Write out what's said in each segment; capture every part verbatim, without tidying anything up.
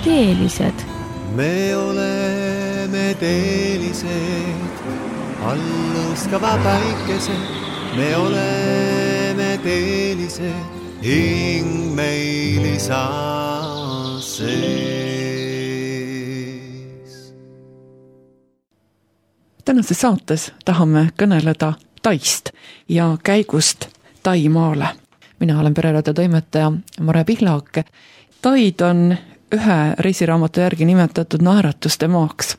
teelised. Me oleme teelised, alluskava päikesed. Me oleme teelised, hing meil isa sees. Tänases saates tahame kõneleda Taist ja käigust Taimaale. Mina olen pereraadio toimetaja Mare Pihlak. Taid on ühe reisiraamatu järgi nimetatud naeratuste maaks.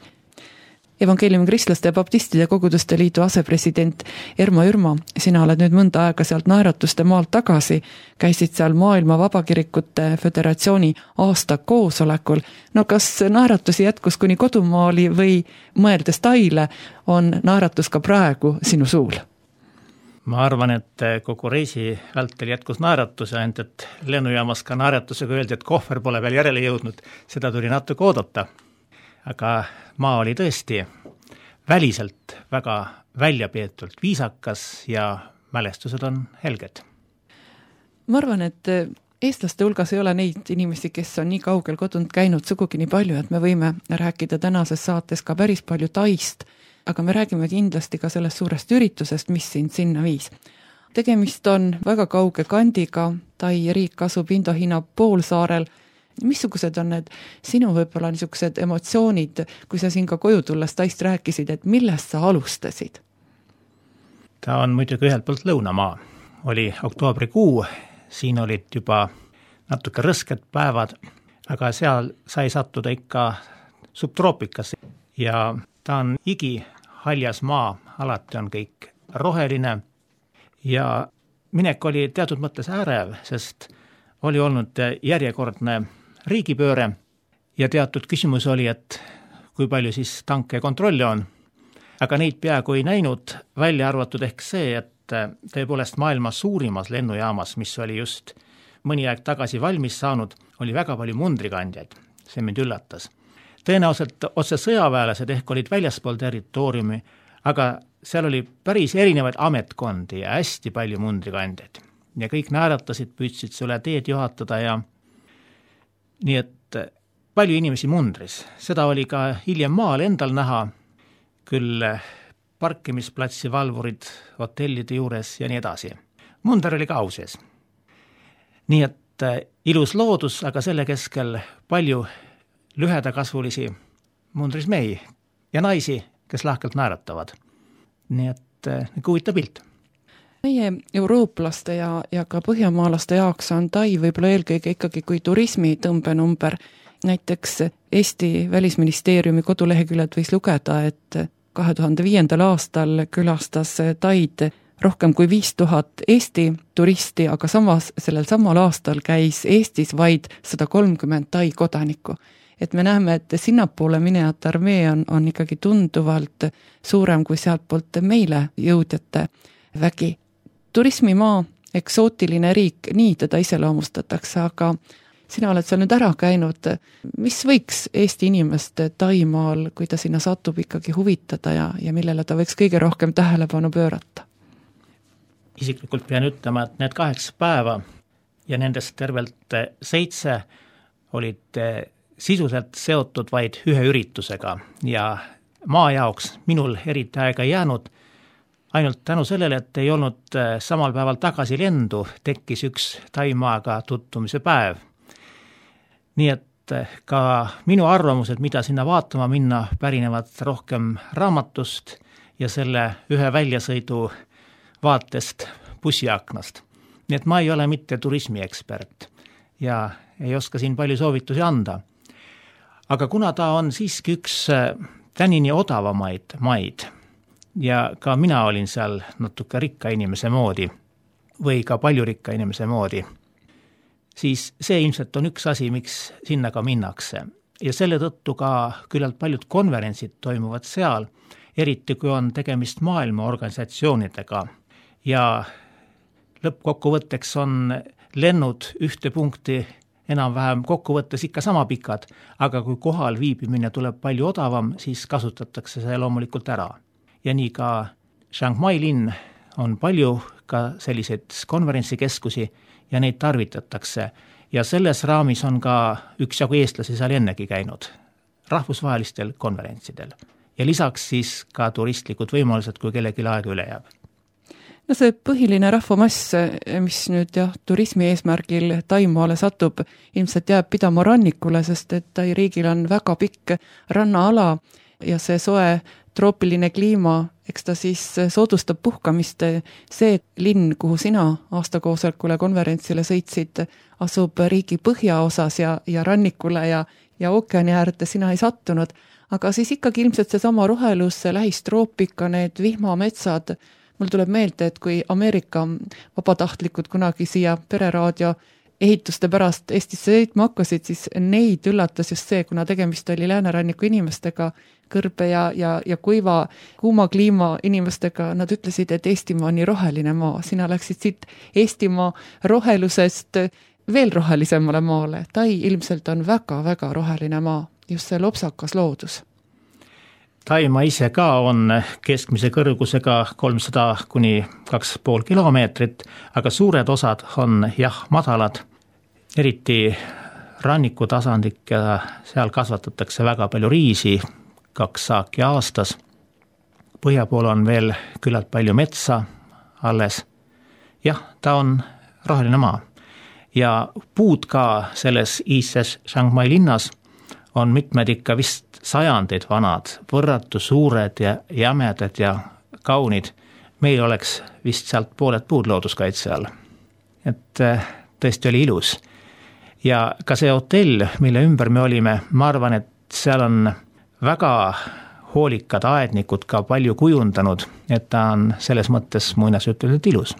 Evangeeliumi kristlaste ja baptistide koguduste liidu asepresident Ermo Ürma, sina oled nüüd mõnda aega sealt naeratuste maalt tagasi, käisid seal Maailma Vabakirikute Föderatsiooni aasta koosolekul. No kas naeratusi jätkus kuni kodumaali või mõeldes Taile on naeratus ka praegu sinu suul? Ma arvan, et kogu reisi vältel jätkus naeratus, ainult et lennujaamas ka naeratusega öeldi, et kohver pole veel järele jõudnud, seda tuli natuke oodata. Aga maa oli tõesti väliselt väga väljapeetult viisakas ja mälestused on helged. Ma arvan, et eestlaste hulgas ei ole neid inimesi, kes on nii kaugel kodunt käinud sugugi nii palju, et me võime rääkida tänases saates ka päris palju Taist, aga me räägime kindlasti ka sellest suurest üritusest, mis sind sinna viis. Tegemist on väga kauge kandiga, Tai riik asub Indo-Hiina poolsaarel. Missugused on need sinu võib-olla niisugused emotsioonid, kui sa siin ka koju tulles Taist rääkisid, et millest sa alustasid? Ta on muidugi ühelt poolt lõunamaa. Oli oktoobrikuu, siin olid juba natuke rõsked päevad, aga seal sai sattuda ikka subtroopikasse. Ja ta on igi haljas maa, alati on kõik roheline ja minek oli teatud mõttes äärev, sest oli olnud järjekordne riigipööre ja teatud küsimus oli, et kui palju siis tanke ja kontrolli on. Aga neid peaaegu ei näinud, välja arvatud ehk see, et tõepoolest maailma suurimas lennujaamas, mis oli just mõni aeg tagasi valmis saanud, oli väga palju mundrikandjaid. See mind üllatas. Tõenäoliselt otse sõjaväelased ehk olid väljaspool territooriumi, aga seal oli päris erinevaid ametkondi ja hästi palju mundrikandjaid. Ja kõik naeratasid, püüdsid sulle teed juhatada ja nii et palju inimesi mundris. Seda oli ka hiljem maal endal näha, küll parkimisplatsi valvurid hotellide juures ja nii edasi. Munder oli ka au sees. Nii et ilus loodus, aga selle keskel palju lühedakasvulisi mundris mehi ja naisi, kes lahkelt naeratavad. Nii et huvitav pilt. Meie eurooplaste ja, ja ka põhjamaalaste jaoks on Tai võib-olla eelkõige ikkagi kui turismi tõmbenumber. Näiteks Eesti välisministeeriumi koduleheküljed võis lugeda, et kahe tuhande viiendal aastal külastas Taid rohkem kui viis tuhat Eesti turisti, aga samas sellel samal aastal käis Eestis vaid sada kolmkümmend Tai kodanikku. Et me näeme, et sinnapoole minejate armee on, on ikkagi tunduvalt suurem kui sealt poolt meile jõudjate vägi. Turismimaa, eksootiline riik, nii teda iseloomustatakse, aga sina oled seal nüüd ära käinud. Mis võiks Eesti inimest Taimaal, kui ta sinna satub, ikkagi huvitada ja, ja millele ta võiks kõige rohkem tähelepanu pöörata? Isiklikult pean ütlema, et need kaheksa päeva ja nendest tervelt seitse olid sisuliselt seotud vaid ühe üritusega ja maa jaoks minul eriti aega jäänud. Ainult tänu sellele, et ei olnud samal päeval tagasi lendu, tekkis üks Taimaaga tutvumise päev. Nii et ka minu arvamused, mida sinna vaatama minna, pärinevad rohkem raamatust ja selle ühe väljasõidu vaatest bussiaknast. Nii et ma ei ole mitte turismiekspert ja ei oska siin palju soovitusi anda. Aga kuna ta on siiski üks tänini odavamaid maid, ja ka mina olin seal natuke rikka inimese moodi või ka palju rikka inimese moodi, siis see ilmselt on üks asi, miks sinna ka minnakse. Ja selle tõttu ka küllalt paljud konverentsid toimuvad seal, eriti kui on tegemist maailma organisatsioonidega. Ja lõppkokkuvõtteks on lennud ühte punkti enam-vähem kokkuvõttes ikka sama pikad, aga kui kohal viibimine tuleb palju odavam, siis kasutatakse see loomulikult ära. Ja nii ka Chiang Mai linn on palju ka selliseid konverentsikeskusi ja neid tarvitatakse ja selles raamis on ka üksjagu eestlasi seal ennegi käinud rahvusvahelistel konverentsidel ja lisaks siis ka turistlikud võimalused, kui kellelgi aega üle jääb. No see põhiline rahvamass, mis nüüd jah, turismi eesmärgil Taimaale satub, ilmselt jääb pidama rannikule, sest et Tai riigil on väga pikk rannaala ja see soe troopiline kliima, eks ta siis soodustab puhkamist. See linn, kuhu sina aastakoosolekule konverentsile sõitsid, asub riigi põhjaosas ja, ja rannikule ja, ja ookeani äärde sina ei sattunud, aga siis ikkagi ilmselt see sama rohelus, see lähistroopika, need vihmametsad. Mul tuleb meelde, et kui Ameerika vabatahtlikud kunagi siia pereraadio ehituste pärast Eestisse sõitma hakkasid, siis neid üllatas just see, kuna tegemist oli lääneranniku inimestega, kõrbe ja, ja, ja kuiva, kuuma kliima inimestega, nad ütlesid, et Eestimaa on nii roheline maa. Sina läksid siit Eestimaa rohelusest veel rohelisemale maale. Tai ilmselt on väga-väga roheline maa, just see lopsakas loodus. Taimaa ise ka on keskmise kõrgusega kolmsada kuni kaks pool kilomeetrit, aga suured osad on jah madalad, eriti rannikutasandlik ja seal kasvatatakse väga palju riisi, kaks saaki aastas. Põhja pool on veel küllalt palju metsa alles. Jah, ta on roheline maa ja puud ka selles iises Chiang Mai linnas on mitmed ikka vist sajandeid vanad, võrratu suured ja jämedad ja kaunid. Meil oleks vist sealt pooled puud looduskaitse all. Et tõesti oli ilus. Ja ka see hotell, mille ümber me olime, ma arvan, et seal on väga hoolikad aednikud ka palju kujundanud, et ta on selles mõttes muinasjutuliselt ilus.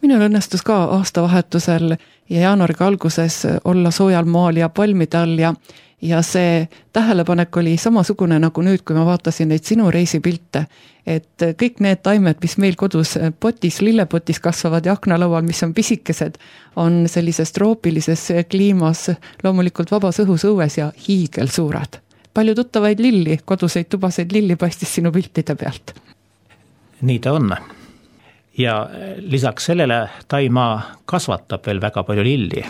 Minul õnnestus ka aastavahetusel ja jaanuariga alguses olla soojal maal ja palmide all ja Ja see tähelepanek oli samasugune nagu nüüd, kui ma vaatasin neid sinu reisipilte, et kõik need taimed, mis meil kodus potis, lillepotis kasvavad ja aknalaual, mis on pisikesed, on sellises troopilises kliimas loomulikult vabas õhus õues ja hiigel suured. Palju tuttavaid lilli, koduseid tubaseid lilli paistis sinu piltide pealt. Nii ta on. Ja lisaks sellele Taimaa kasvatab veel väga palju lilli.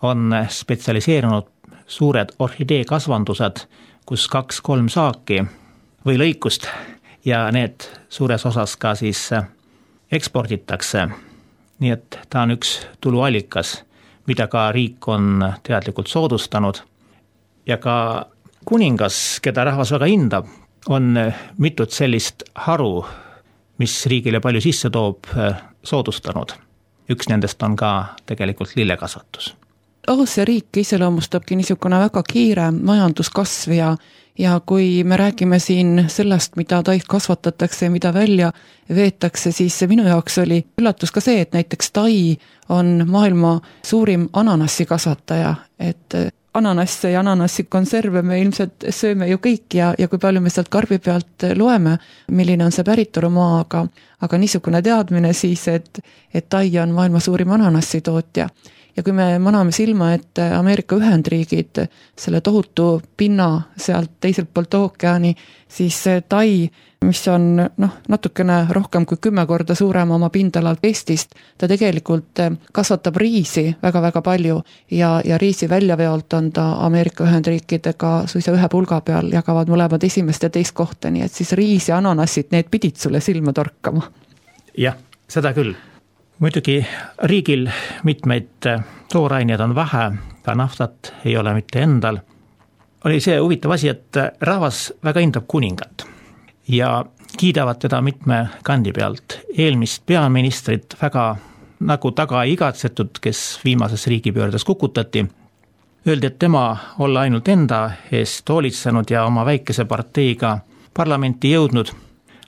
On spetsialiseerunud suured orhidee kasvandused, kus kaks-kolm saaki või lõikust ja need suures osas ka siis eksporditakse. Nii et ta on üks tuluallikas, mida ka riik on teadlikult soodustanud. Ja ka kuningas, keda rahvas väga hindab, on mitut sellist haru, mis riigile palju sisse toob, soodustanud. Üks nendest on ka tegelikult lillekasvatus. Aasia riik iseloomustabki niisugune väga kiire majanduskasv ja, ja kui me räägime siin sellest, mida taid kasvatatakse ja mida välja veetakse, siis minu jaoks oli üllatus ka see, et näiteks Tai on maailma suurim ananassi kasvataja, et ananasse ja ananassi konserve me ilmselt sööme ju kõik ja, ja kui palju me sealt karbi pealt loeme, milline on see päritolumaa, aga, aga niisugune teadmine siis, et, et Tai on maailma suurim ananassi tootja. Ja kui me maname silma, et Ameerika Ühendriigid selle tohutu pinna sealt teiselt poolt ookeani, siis Tai, mis on noh, natukene rohkem kui kümme korda suurem oma pindalalt Eestist, ta tegelikult kasvatab riisi väga-väga palju ja, ja riisi väljaveolt on ta Ameerika Ühendriikidega suisa ühe pulga peal, jagavad mõlemad esimest ja teist kohta, nii et siis riis ja ananassid, need pidid sulle silma torkama. Jah, seda küll. Muidugi riigil mitmeid tooraineid on vähe, ka naftat ei ole mitte endal. Oli see huvitav asi, et rahvas väga hindab kuningat ja kiidavad teda mitme kandi pealt. Eelmist peaministrit väga nagu taga ei igatsetud, kes viimases riigipöördes kukutati. Öeldi, et tema olla ainult enda eest hoolitsenud ja oma väikese parteiga parlamenti jõudnud,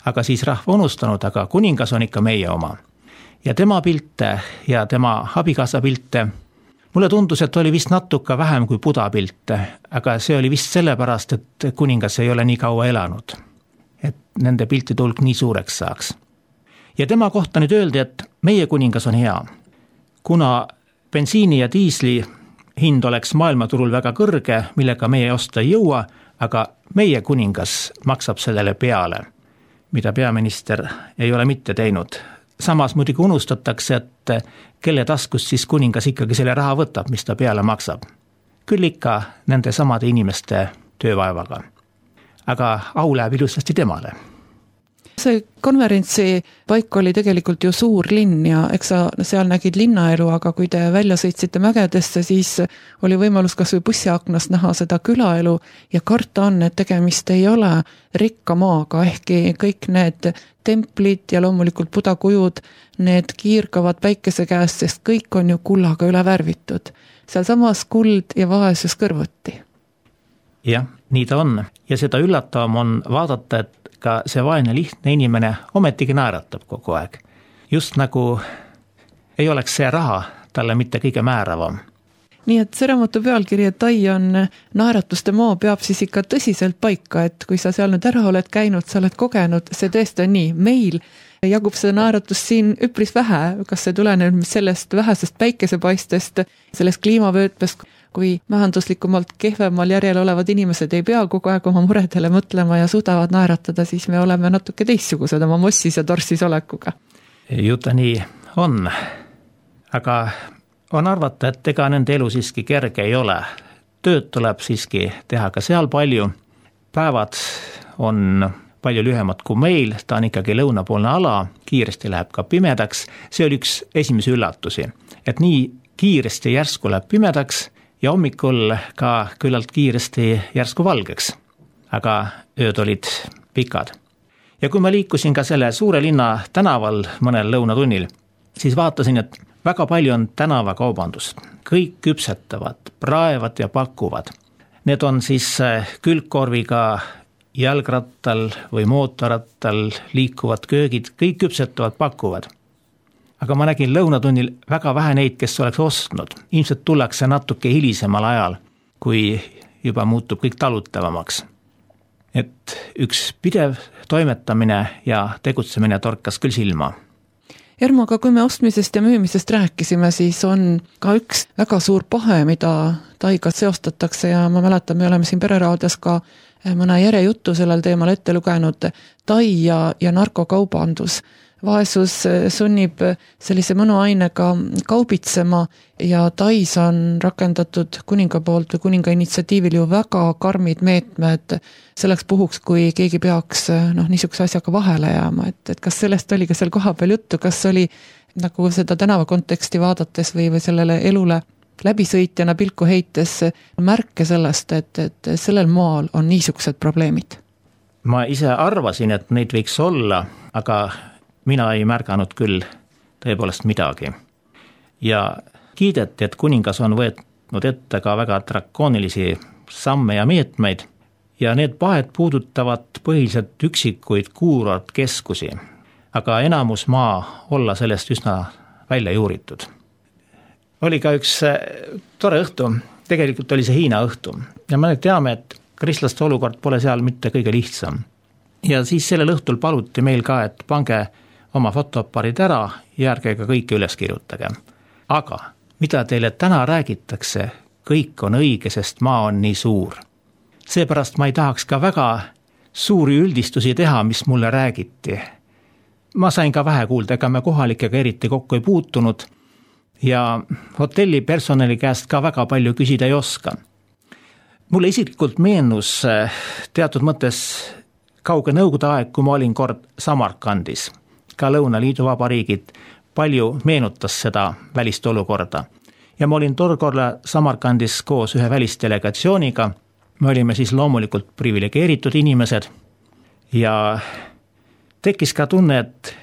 aga siis rahva unustanud, aga kuningas on ikka meie oma. Ja tema pilte ja tema abikaasa pilte, mulle tundus, et oli vist natuke vähem kui Buda pilte, aga see oli vist sellepärast, et kuningas ei ole nii kaua elanud, et nende piltide hulk nii suureks saaks. Ja tema kohta nüüd öeldi, et meie kuningas on hea, kuna bensiini ja diisli hind oleks maailmaturul väga kõrge, millega meie osta ei jõua, aga meie kuningas maksab sellele peale, mida peaminister ei ole mitte teinud. samas muidugi unustatakse, et kelle taskust siis kuningas ikkagi selle raha võtab, mis ta peale maksab. Küll ikka nende samade inimeste töövaevaga. Aga au läheb ilusasti temale. See konverentsi paik oli tegelikult ju suur linn ja eks sa seal nägid linnaelu, aga kui te välja sõitsite mägedesse, siis oli võimalus kas või bussiaknast näha seda külaelu ja karta on, et tegemist ei ole rikka maaga, ehkki kõik need templid ja loomulikult budakujud, need kiirgavad päikese käest, sest kõik on ju kullaga üle värvitud. Seal samas kuld ja vaesus kõrvuti. Jah, nii ta on ja seda üllatavam on vaadata, et ka see vaene lihtne inimene ometigi naeratab kogu aeg. Just nagu ei oleks see raha talle mitte kõige määravam. Nii et see raamatu pealkiri, et Tai on naeratuste maa, peab siis ikka tõsiselt paika, et kui sa seal nüüd ära oled käinud, sa oled kogenud, see tõesti on nii. Meil jagub seda naeratust siin üpris vähe, kas see tuleneb sellest vähesest päikesepaistest, sellest kliimavöötmest, kui majanduslikumalt kehvemal järjel olevad inimesed ei pea kogu aeg oma muredele mõtlema ja suudavad naeratada, siis me oleme natuke teistsugused oma mossis ja torsis olekuga. Ju ta nii on, aga on arvata, et ega nende elu siiski kerge ei ole. Tööd tuleb siiski teha ka seal palju. Päevad on palju lühemad kui meil, ta on ikkagi lõunapoolne ala, kiiresti läheb ka pimedaks. See oli üks esimesi üllatusi, et nii kiiresti järsku läheb pimedaks ja hommikul ka küllalt kiiresti järsku valgeks, aga ööd olid pikad. Ja kui ma liikusin ka selle suure linna tänaval mõnel lõunatunnil, siis vaatasin, et väga palju on tänavakaubandust. Kõik küpsetavad, praevad ja pakuvad. Need on siis külgkorviga jalgrattal või mootorrattal liikuvad köögid, kõik küpsetavad, pakuvad. Aga ma nägin lõunatunnil väga vähe neid, kes oleks ostnud. Ilmselt tullakse natuke hilisemal ajal, kui juba muutub kõik talutavamaks. Et üks pidev toimetamine ja tegutsemine torkas küll silma. Ermo, aga kui me ostmisest ja müümisest rääkisime, siis on ka üks väga suur pahe, mida Taiga seostatakse ja ma mäletan, me oleme siin Pereraadios ka mõne järjejuttu sellel teemal ette lugenud, Tai ja, ja narkokaubandus. Vaesus sunnib sellise mõnuainega kaubitsema ja Tais on rakendatud kuninga poolt või kuninga initsiatiivil ju väga karmid meetmed selleks puhuks, kui keegi peaks noh, niisuguse asjaga vahele jääma, et, et kas sellest oli ka seal koha peal juttu, kas oli nagu seda tänava konteksti vaadates või, või sellele elule läbisõitjana pilku heites märke sellest, et, et sellel maal on niisugused probleemid? Ma ise arvasin, et neid võiks olla, aga mina ei märganud küll tõepoolest midagi. Ja kiideti, et kuningas on võetnud ette ka väga drakoonilisi samme ja meetmeid ja need pahed puudutavad põhiliselt üksikuid kuurortkeskusi, aga enamus maa olla sellest üsna välja juuritud. Oli ka üks tore õhtu, tegelikult oli see Hiina õhtu ja me teame, et kristlaste olukord pole seal mitte kõige lihtsam. Ja siis sellel õhtul paluti meil ka, et pange oma fotoapparid ära ja ärge ka kõike üles kirjutage. Aga mida teile täna räägitakse, kõik on õige, sest maa on nii suur. Seepärast ma ei tahaks ka väga suuri üldistusi teha, mis mulle räägiti. Ma sain ka vähe kuulda, ega me kohalikega eriti kokku ei puutunud ja hotelli personali käest ka väga palju küsida ei oska. Mulle isiklikult meenus teatud mõttes kauge nõukogude aeg, kui ma olin kord Samarkandis. Ka Lõuna-Liidu vabariigid palju meenutas seda välist olukorda. Ja ma olin torkorla Samarkandis koos ühe välistelegatsiooniga. Me olime siis loomulikult privilegeeritud inimesed ja tekkis ka tunne, et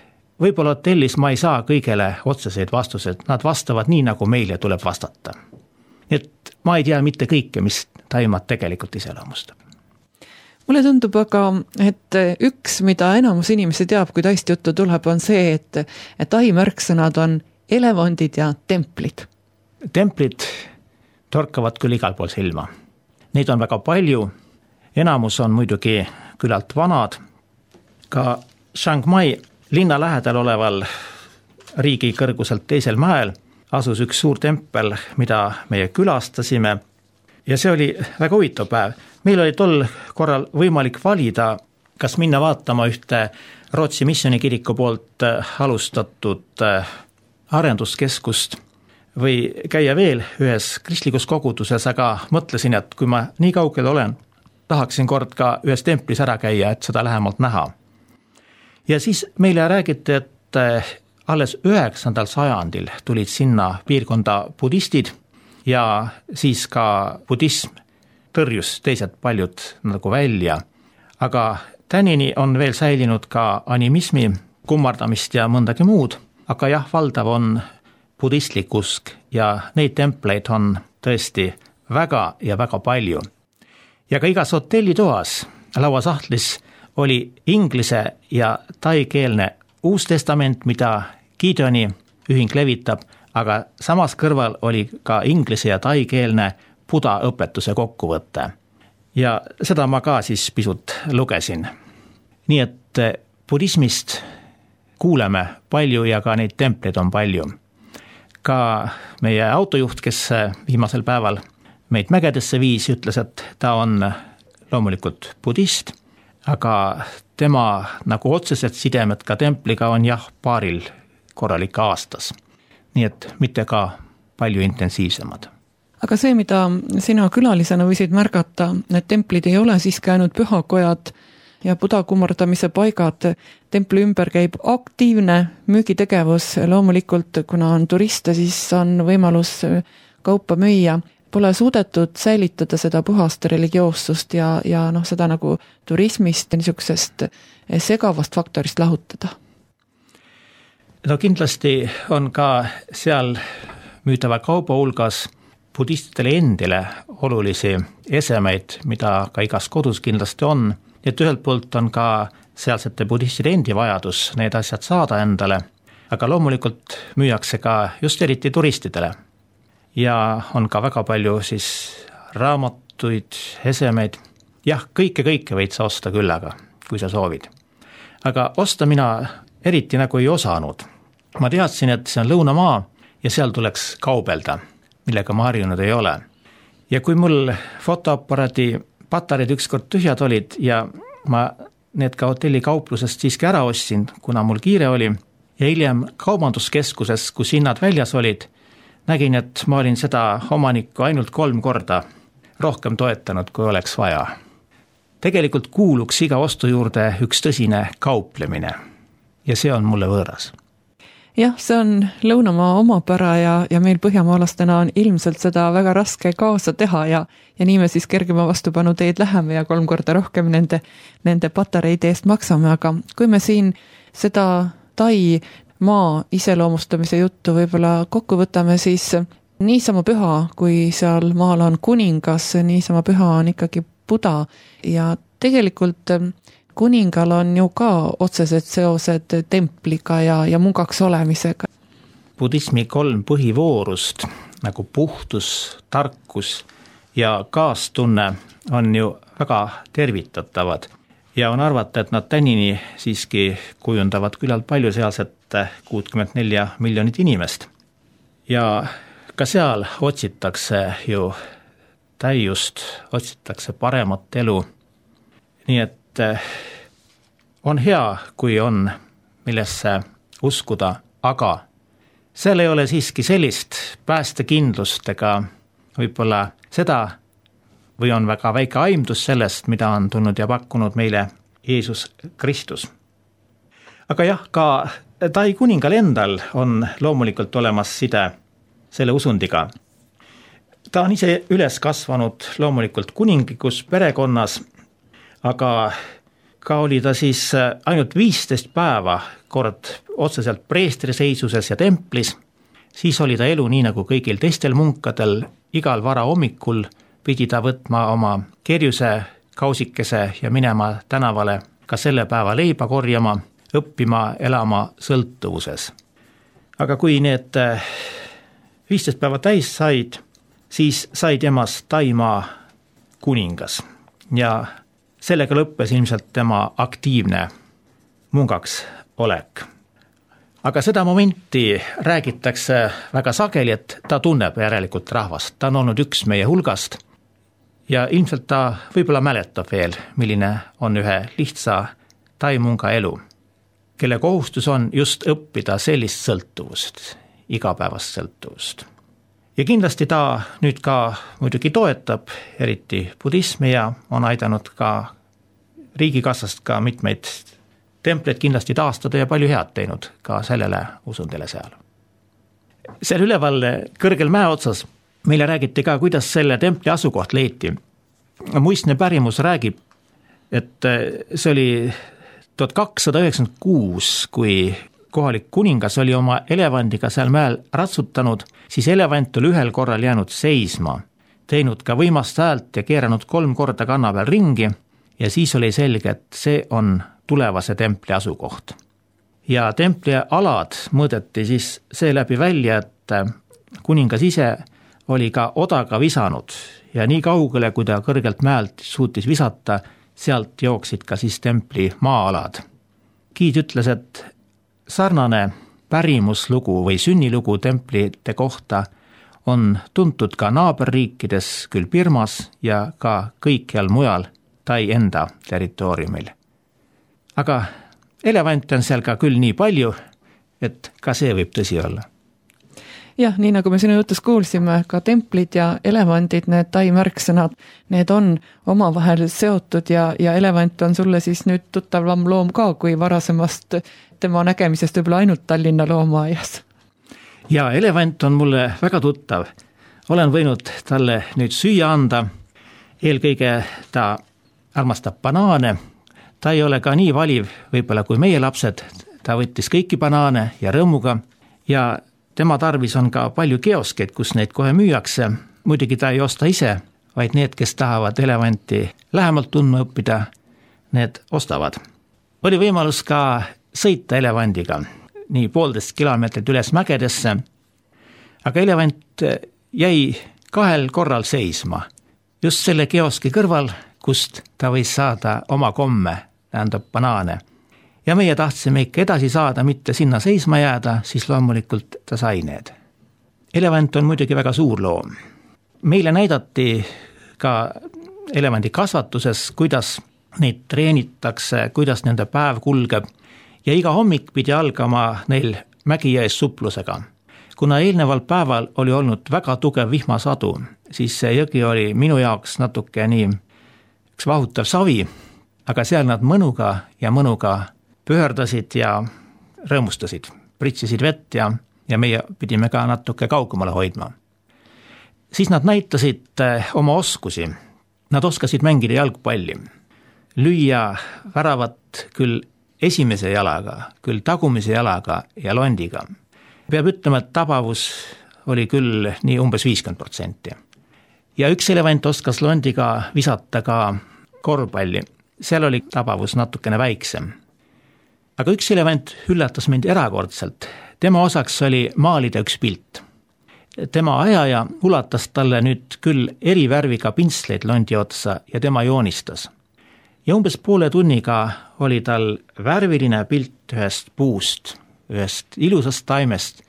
võib-olla hotellis ma ei saa kõigele otseseid vastused. Nad vastavad nii, nagu meile tuleb vastata. Et ma ei tea mitte kõike, mis Taimaad tegelikult iseloomustab. Mulle tundub aga, et üks, mida enamus inimesi teab, kui Taist juttu tuleb, on see, et, et Tai märksõnad on elevandid ja templid. Templid torkavad küll igal pool silma. Neid on väga palju. Enamus on muidugi küllalt vanad. Ka Chiang Mai linna lähedal oleval riigi kõrguselt teisel mäel asus üks suur tempel, mida meie külastasime. Ja see oli väga huvitav päev. Meil oli tol korral võimalik valida, kas minna vaatama ühte Rootsi missioonikiriku poolt alustatud arenduskeskust või käia veel ühes kristlikus koguduses, aga mõtlesin, et kui ma nii kaugel olen, tahaksin kord ka ühes templis ära käia, et seda lähemalt näha. Ja siis meile räägiti, et alles üheksandal sajandil tulid sinna piirkonda budistid ja siis ka budism tõrjus teised paljud nagu välja. Aga tänini on veel säilinud ka animismi, kummardamist ja mõndagi muud, aga jah, valdav on budistlik usk ja neid templeid on tõesti väga ja väga palju. Ja ka igas hotellitoas lauasahtlis oli inglise ja taikeelne uus testament, mida Gideoni ühing levitab, aga samas kõrval oli ka inglise ja taikeelne Buda õpetuse kokkuvõte. Ja seda ma ka siis pisut lugesin. Nii et budismist kuuleme palju ja ka neid templeid on palju. Ka meie autojuht, kes viimasel päeval meid mägedesse viis, ütles, et ta on loomulikult budist, aga tema nagu otseselt sidemed ka templiga on jah paaril korralik aastas. Nii et mitte ka palju intensiivsemad. Aga see, mida sina külalisena võisid märgata, need templid ei ole siiski ainult pühakojad ja Buda kummardamise paigad. Templi ümber käib aktiivne müügitegevus. Loomulikult, kuna on turiste, siis on võimalus kaupa müüa. Pole suudetud säilitada seda puhast religioossust ja, ja noh, seda nagu turismist niisugusest segavast faktorist lahutada. No kindlasti on ka seal müüdava kauba hulgas budistidele endile olulisi esemeid, mida ka igas kodus kindlasti on. Et ühelt poolt on ka sealsete budistide endi vajadus need asjad saada endale, aga loomulikult müüakse ka just eriti turistidele. Ja on ka väga palju siis raamatuid, esemeid. Jah, kõike, kõike võid sa osta küll, aga kui sa soovid. Aga osta mina eriti nagu ei osanud. Ma teadsin, et see on lõunamaa ja seal tuleks kaubelda, millega ma harjunud ei ole. Ja kui mul fotoaparaadi patareid ükskord tühjad olid ja ma need ka hotelli kauplusest siiski ära ostsin, kuna mul kiire oli, ja hiljem kaubanduskeskuses, kus hinnad väljas olid, nägin, et ma olin seda omanikku ainult kolm korda rohkem toetanud, kui oleks vaja. Tegelikult kuuluks iga ostu juurde üks tõsine kauplemine ja see on mulle võõras. Jah, see on lõunamaa omapära ja, ja meil põhjamaalastena on ilmselt seda väga raske kaasa teha ja, ja nii me siis kergema vastupanu teed läheme ja kolm korda rohkem nende, nende patareide eest maksame, aga kui me siin seda Tai maa iseloomustamise juttu võib-olla kokku võtame, siis niisama püha, kui seal maal on kuningas, niisama püha on ikkagi Buda ja tegelikult kuningal on ju ka otsesed seosed templiga ja, ja mugaks olemisega. Budismi kolm põhivoorust, nagu puhtus, tarkus ja kaastunne on ju väga tervitatavad ja on arvata, et nad tänini siiski kujundavad küllalt palju sealset kuuskümmend neli miljonit inimest. Ja ka seal otsitakse ju täiust, otsitakse paremat elu. Nii et on hea, kui on millesse uskuda, aga seal ei ole siiski sellist päästekindlust ega võib-olla seda või on väga väike aimdus sellest, mida on tulnud ja pakkunud meile Jeesus Kristus. Aga jah, ka Tai kuningal endal on loomulikult olemas side selle usundiga. Ta on ise üles kasvanud loomulikult kuninglikus perekonnas, aga ka oli ta siis ainult viisteist päeva kord otseselt preestri seisuses ja templis. Siis oli ta elu nii nagu kõigil teistel munkadel, igal vara hommikul pidi ta võtma oma kerjuse kausikese ja minema tänavale ka selle päeva leiba korjama, õppima, elama sõltuvuses. Aga kui need viisteist päeva täis said, siis sai temast Taimaa kuningas ja sellega lõppes ilmselt tema aktiivne mungaks olek. Aga seda momenti räägitakse väga sageli, et ta tunneb järelikult rahvast. Ta on olnud üks meie hulgast ja ilmselt ta võib-olla mäletab veel, milline on ühe lihtsa taimunga elu, kelle kohustus on just õppida sellist sõltuvust, igapäevast sõltuvust. Ja kindlasti ta nüüd ka muidugi toetab eriti budismi ja on aidanud ka riigikassast ka mitmeid templeid kindlasti taastada ja palju head teinud ka sellele usundile seal. Seal üleval kõrgel mäe otsas meile räägiti ka, kuidas selle templi asukoht leiti. Muistne pärimus räägib, et see oli tuhat kakssada üheksakümmend kuus, kui kohalik kuningas oli oma elevandiga seal mäel ratsutanud, siis elevant oli ühel korral jäänud seisma, teinud ka võimast häält ja keeranud kolm korda kanna peal ringi ja siis oli selge, et see on tulevase templi asukoht. Ja templi alad mõõdeti siis seeläbi välja, et kuningas ise oli ka odaga visanud ja nii kaugele, kui ta kõrgelt mäelt suutis visata, sealt jooksid ka siis templi maa-alad. Giid ütles, et sarnane pärimuslugu või sünnilugu templite kohta on tuntud ka naaberriikides, küll Birmas ja ka kõikjal mujal Tai enda territooriumil. Aga elevante on seal ka küll nii palju, et ka see võib tõsi olla. Jah, nii nagu me sinu jutus kuulsime, ka templid ja elevandid, need Tai märksõnad, need on omavahel seotud ja, ja elevant on sulle siis nüüd tuttavam loom ka kui varasemast tema nägemisest võib-olla ainult Tallinna loomaaias. Ja elevant on mulle väga tuttav. Olen võinud talle nüüd süüa anda. Eelkõige ta armastab banaane. Ta ei ole ka nii valiv võib-olla kui meie lapsed. Ta võttis kõiki banaane ja rõõmuga ja tema tarvis on ka palju kioskeid, kus neid kohe müüakse. Muidugi ta ei osta ise, vaid need, kes tahavad elevanti lähemalt tundma õppida, need ostavad. Oli võimalus ka sõita elevandiga nii poolteist kilomeetrit üles mägedesse, aga elevant jäi kahel korral seisma. Just selle kioski kõrval, kust ta võis saada oma komme, tähendab banaane. Ja meie tahtsime ikka edasi saada, mitte sinna seisma jääda, siis loomulikult ta sai need. Elevant on muidugi väga suur loom. Meile näidati ka elevandi kasvatuses, kuidas neid treenitakse, kuidas nende päev kulgeb ja iga hommik pidi algama neil Mägijões suplusega. Kuna eelneval päeval oli olnud väga tugev vihmasadu, siis see jõgi oli minu jaoks natuke nii üks vahutav savi, aga seal nad mõnuga ja mõnuga pöördasid ja rõõmustasid, pritsisid vett ja, ja meie pidime ka natuke kaugemale hoidma. Siis nad näitasid oma oskusi. Nad oskasid mängida jalgpalli, lüüa väravat küll esimese jalaga, küll tagumise jalaga ja londiga. Peab ütlema, et tabavus oli küll nii umbes viiskümmend protsenti. Ja üks elevant oskas londiga visata ka korvpalli. Seal oli tabavus natukene väiksem. Aga üks elevant üllatas mind erakordselt. Tema osaks oli maalida üks pilt. Tema ajaja ulatas talle nüüd küll eri värviga pintsleid londi otsa ja tema joonistas. Ja umbes poole tunniga oli tal värviline pilt ühest puust, ühest ilusast taimest,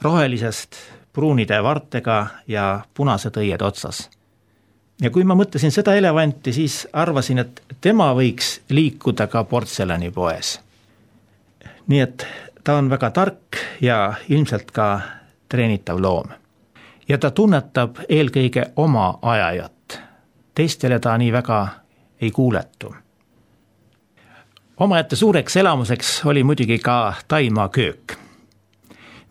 rohelisest, pruunide vartega ja punased õied otsas. Ja kui ma mõtlesin seda elevanti, siis arvasin, et tema võiks liikuda ka portselani poes. Nii et ta on väga tark ja ilmselt ka treenitav loom. Ja ta tunnetab eelkõige oma ajajat. Teistele ta nii väga ei kuuletu. Omaette suureks elamuseks oli muidugi ka Taimaa köök.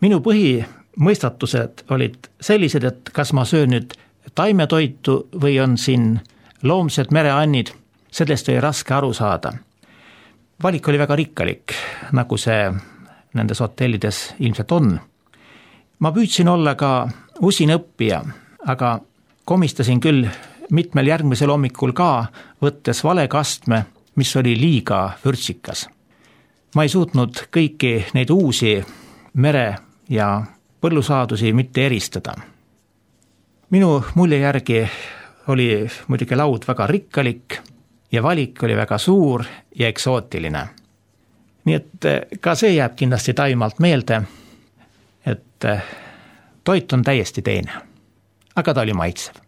Minu põhimõistatused olid sellised, et kas ma söön nüüd taimetoitu või on siin loomsed mereannid, sellest oli raske aru saada. Valik oli väga rikkalik, nagu see nendes hotellides ilmselt on. Ma püüdsin olla ka usin õppija, aga komistasin küll mitmel järgmisel hommikul ka, võttes vale kastme, mis oli liiga vürtsikas. Ma ei suutnud kõiki neid uusi mere- ja põllusaadusi mitte eristada. Minu mulje järgi oli muidugi laud väga rikkalik ja valik oli väga suur ja eksootiline. Nii et ka see jääb kindlasti Taimaalt meelde, et toit on täiesti teine, aga ta oli maitsev.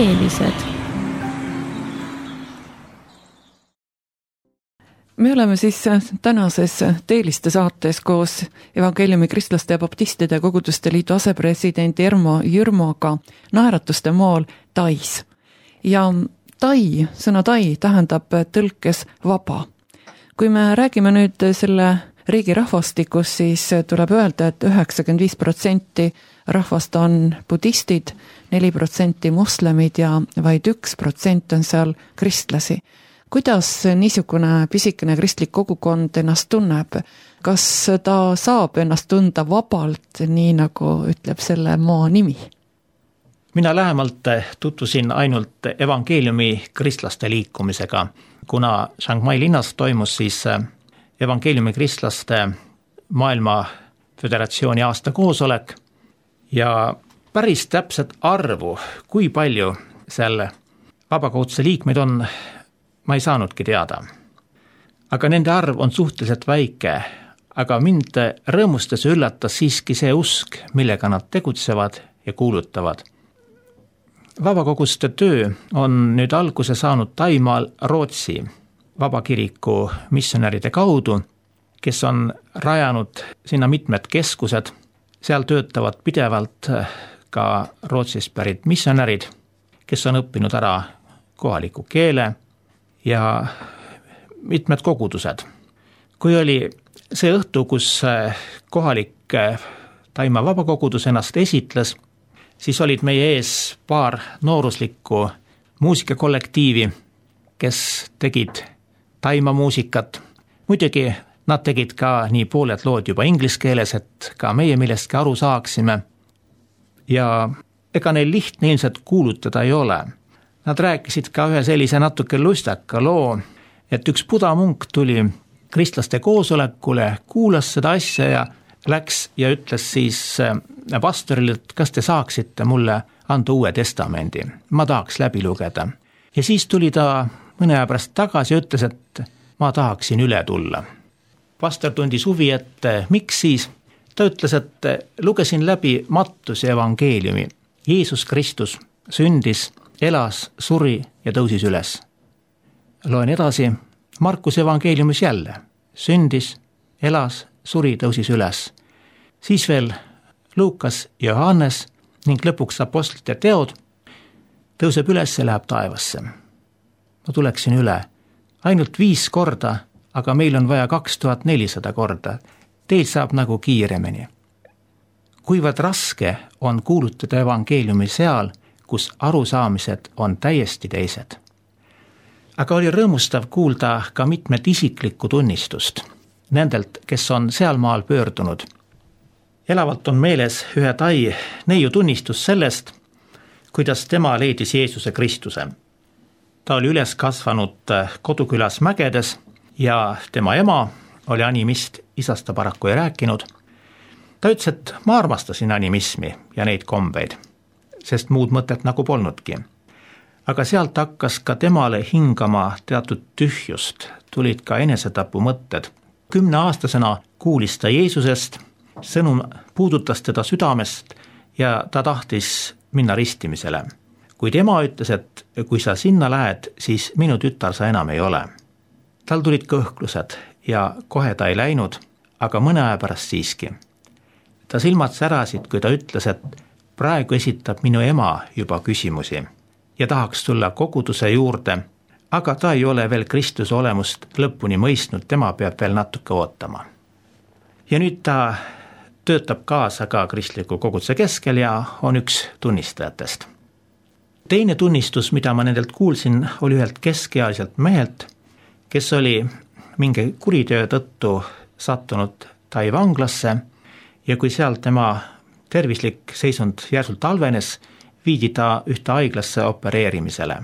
teelised. Me oleme siis tänases Teeliste saates koos Evangeeliumi Kristlaste ja Baptistide Koguduste Liidu asepresidendi Ermo Jürmoga Naeratuste maal Tais. Ja Tai, sõna Tai tähendab tõlkes vaba. Kui me räägime nüüd selle riigi rahvastikus, siis tuleb öelda, et üheksakümmend viis protsenti rahvast on budistid, neli protsenti moslemid ja vaid üks protsent on seal kristlasi. Kuidas niisugune pisikene kristlik kogukond ennast tunneb? Kas ta saab ennast tunda vabalt, nii nagu ütleb selle maa nimi? Mina lähemalt tutvusin ainult evangeeliumi kristlaste liikumisega, kuna Chiang Mai linnas toimus siis evangeeliumi kristlaste maailma föderatsiooni aasta koosolek ja päris täpset arvu, kui palju seal vabakoguduse liikmeid on, ma ei saanudki teada. Aga nende arv on suhteliselt väike, aga mind rõõmustas ja üllatas siiski see usk, millega nad tegutsevad ja kuulutavad. Vabakoguste töö on nüüd alguse saanud Taimaal Rootsi vabakiriku missionäride kaudu, kes on rajanud sinna mitmed keskused. Seal töötavad pidevalt ka Rootsist pärit missionärid, kes on õppinud ära kohaliku keele ja mitmed kogudused. Kui oli see õhtu, kus kohalik Taimaa vabakogudus ennast esitles, siis olid meie ees paar nooruslikku muusikakollektiivi, kes tegid Taimaa muusikat. Muidugi nad tegid ka nii pooled lood juba inglise keeles, et ka meie millestki aru saaksime. Ja ega neil lihtne ilmselt kuulutada ei ole. Nad rääkisid ka ühe sellise natuke lustaka loo, et üks budamunk tuli kristlaste koosolekule, kuulas seda asja ja läks ja ütles siis pastorile, et kas te saaksite mulle anda uue testamendi. Ma tahaks läbi lugeda. Ja siis tuli ta mõne aja pärast tagasi ja ütles, et ma tahaksin üle tulla. Pastor tundis huvi, et miks siis? Ta ütles, et lugesin läbi Mattuse evangeeliumi. Jeesus Kristus sündis, elas, suri ja tõusis üles. Loen edasi, Markus evangeeliumis jälle. Sündis, elas, suri, tõusis üles. Siis veel Luukas ja Johannes ning lõpuks apostlite teod tõuseb üles ja läheb taevasse. Ma tuleksin üle. Ainult viis korda, aga meil on vaja kaks tuhat nelisada korda. Teil saab nagu kiiremini. Kuivad raske on kuulutada evangeeliumi seal, kus arusaamised on täiesti teised. Aga oli rõõmustav kuulda ka mitmed isiklikku tunnistust nendelt, kes on sealmaal pöördunud. Elavalt on meeles ühe Tai neiu tunnistus sellest, kuidas tema leidis Jeesuse Kristuse. Ta oli üles kasvanud kodukülas Mägedes ja tema ema oli animist, isast ta paraku ei rääkinud. Ta ütles, et ma armastasin animismi ja neid kombeid, sest muud mõtet nagu polnudki. Aga sealt hakkas ka temale hingama teatud tühjust, tulid ka enesetapu mõtted. Kümne aastasena kuulis ta Jeesusest, sõnum puudutas teda südamest ja ta tahtis minna ristimisele. Kuid ema ütles, et kui sa sinna lähed, siis minu tütar sa enam ei ole. Tal tulid kõhklused ja kohe ta ei läinud, aga mõne aja pärast siiski. Ta silmad särasid, kui ta ütles, et praegu esitab minu ema juba küsimusi ja tahaks tulla koguduse juurde, aga ta ei ole veel Kristuse olemust lõpuni mõistnud, tema peab veel natuke ootama. Ja nüüd ta töötab kaasa ka kristliku koguduse keskel ja on üks tunnistajatest. Teine tunnistus, mida ma nendelt kuulsin, oli ühelt keskealiselt mehelt, kes oli mingi kuritöö tõttu sattunud Tai vanglasse ja kui seal tema tervislik seisund järsult halvenes, viidi ta ühte haiglasse opereerimisele.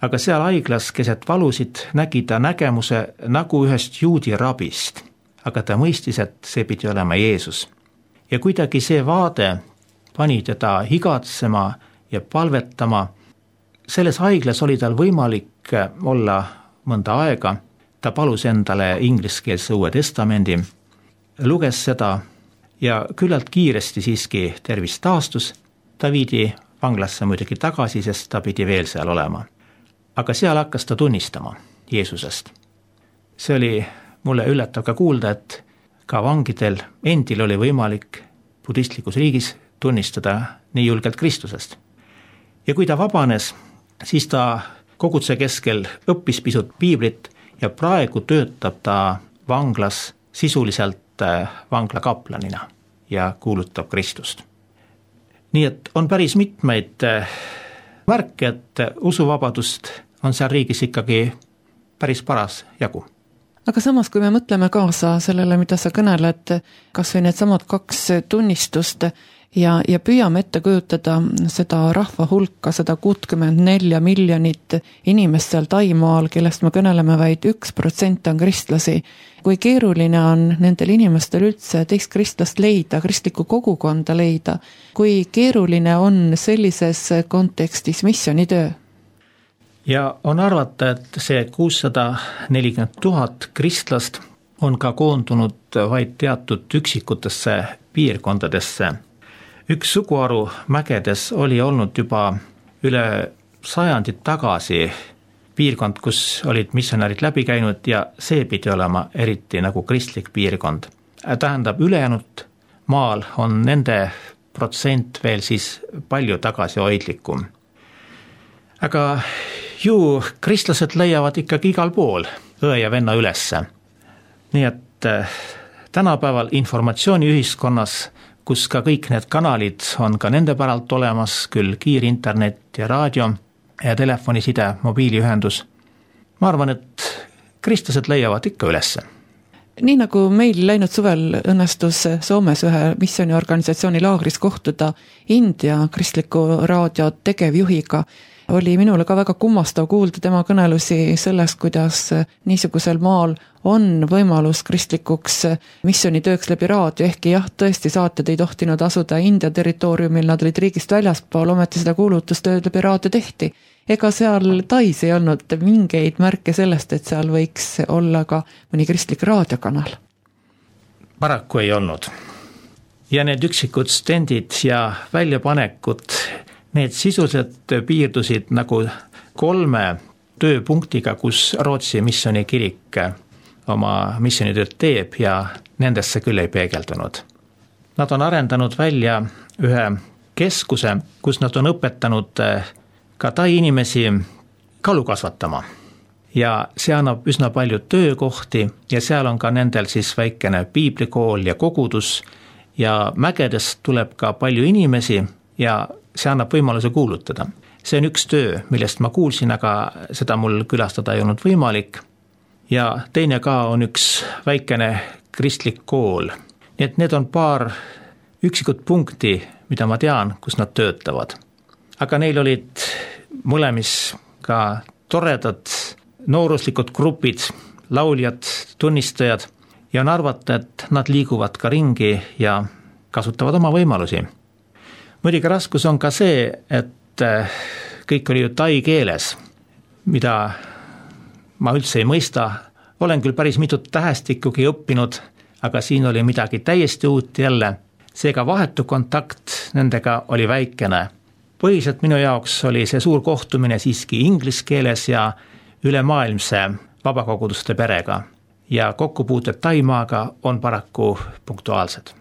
Aga seal haiglas keset valusid nägi ta nägemuse nagu ühest juudi rabist, aga ta mõistis, et see pidi olema Jeesus. Ja kuidagi see vaade pani teda higatsema ja palvetama. Selles haiglas oli tal võimalik olla mõnda aega. Ta palus endale ingliskeelse uue testamendi, luges seda ja küllalt kiiresti siiski tervis taastus. Ta viidi vanglasse muidugi tagasi, sest ta pidi veel seal olema. Aga seal hakkas ta tunnistama Jeesusest. See oli mulle üllatav ka kuulda, et ka vangidel endil oli võimalik budistlikus riigis tunnistada nii julgelt Kristusest. Ja kui ta vabanes, siis ta koguduse keskel õppis pisut piiblit ja praegu töötab ta vanglas sisuliselt vangla kaplanina ja kuulutab Kristust. Nii et on päris mitmeid märke, et usuvabadust on seal riigis ikkagi päris paras jagu. Aga samas, kui me mõtleme kaasa sellele, mida sa kõneled, kas või need samad kaks tunnistust ja, ja püüame ette kujutada seda rahva hulka, seda kuuskümmend neli miljonit inimest seal Taimaal, kellest me kõneleme vaid üks protsent on kristlasi. Kui keeruline on nendel inimestel üldse teist kristlast leida, kristlikku kogukonda leida, kui keeruline on sellises kontekstis missioonitöö? Ja on arvata, et see kuussada nelikümmend tuhat kristlast on ka koondunud vaid teatud üksikutesse piirkondadesse. Üks suguharu mägedes oli olnud juba üle sajandit tagasi piirkond, kus olid missionärid läbi käinud ja see pidi olema eriti nagu kristlik piirkond. Tähendab, ülejäänud maal on nende protsent veel siis palju tagasihoidlikum. Aga ju kristlased leiavad ikkagi igal pool õe ja venna ülesse. Nii et tänapäeval informatsiooniühiskonnas, kus ka kõik need kanalid on ka nende päralt olemas, küll kiirinternet ja raadio ja telefoniside, mobiiliühendus, ma arvan, et kristlased leiavad ikka ülesse. Nii nagu meil läinud suvel õnnestus Soomes ühe missiooniorganisatsiooni laagris kohtuda India kristliku raadio tegevjuhiga, oli minule ka väga kummastav kuulda tema kõnelusi sellest, kuidas niisugusel maal on võimalus kristlikuks missioonitööks läbi raadio, ehkki jah, tõesti saated ei tohtinud asuda India territooriumil, nad olid riigist väljaspool, ometi seda kuulutustööd läbi raadio tehti. Ega seal Tais ei olnud mingeid märke sellest, et seal võiks olla ka mõni kristlik raadiokanal? Paraku ei olnud. Ja need üksikud stendid ja väljapanekud, need sisuliselt piirdusid nagu kolme tööpunktiga, kus Rootsi missioonikirik oma missioonitööd teeb ja nendesse küll ei peegeldunud. Nad on arendanud välja ühe keskuse, kus nad on õpetanud ka tai inimesi kalu kasvatama. Ja see annab üsna palju töökohti ja seal on ka nendel siis väikene piiblikool ja kogudus ja mägedest tuleb ka palju inimesi ja see annab võimaluse kuulutada. See on üks töö, millest ma kuulsin, aga seda mul külastada ei olnud võimalik. Ja teine ka on üks väikene kristlik kool. Nii et need on paar üksikut punkti, mida ma tean, kus nad töötavad. Aga neil olid mõlemis ka toredad nooruslikud grupid, lauljad, tunnistajad ja on arvata, et nad liiguvad ka ringi ja kasutavad oma võimalusi. Muidugi raskus on ka see, et kõik oli ju tai keeles, mida ma üldse ei mõista. Olen küll päris mitut tähestikugi õppinud, aga siin oli midagi täiesti uut jälle. Seega vahetu kontakt nendega oli väikene. Põhiliselt minu jaoks oli see suur kohtumine siiski inglis keeles ja ülemaailmse vabakoguduste perega. Ja kokkupuuted Taimaaga on paraku punktuaalsed.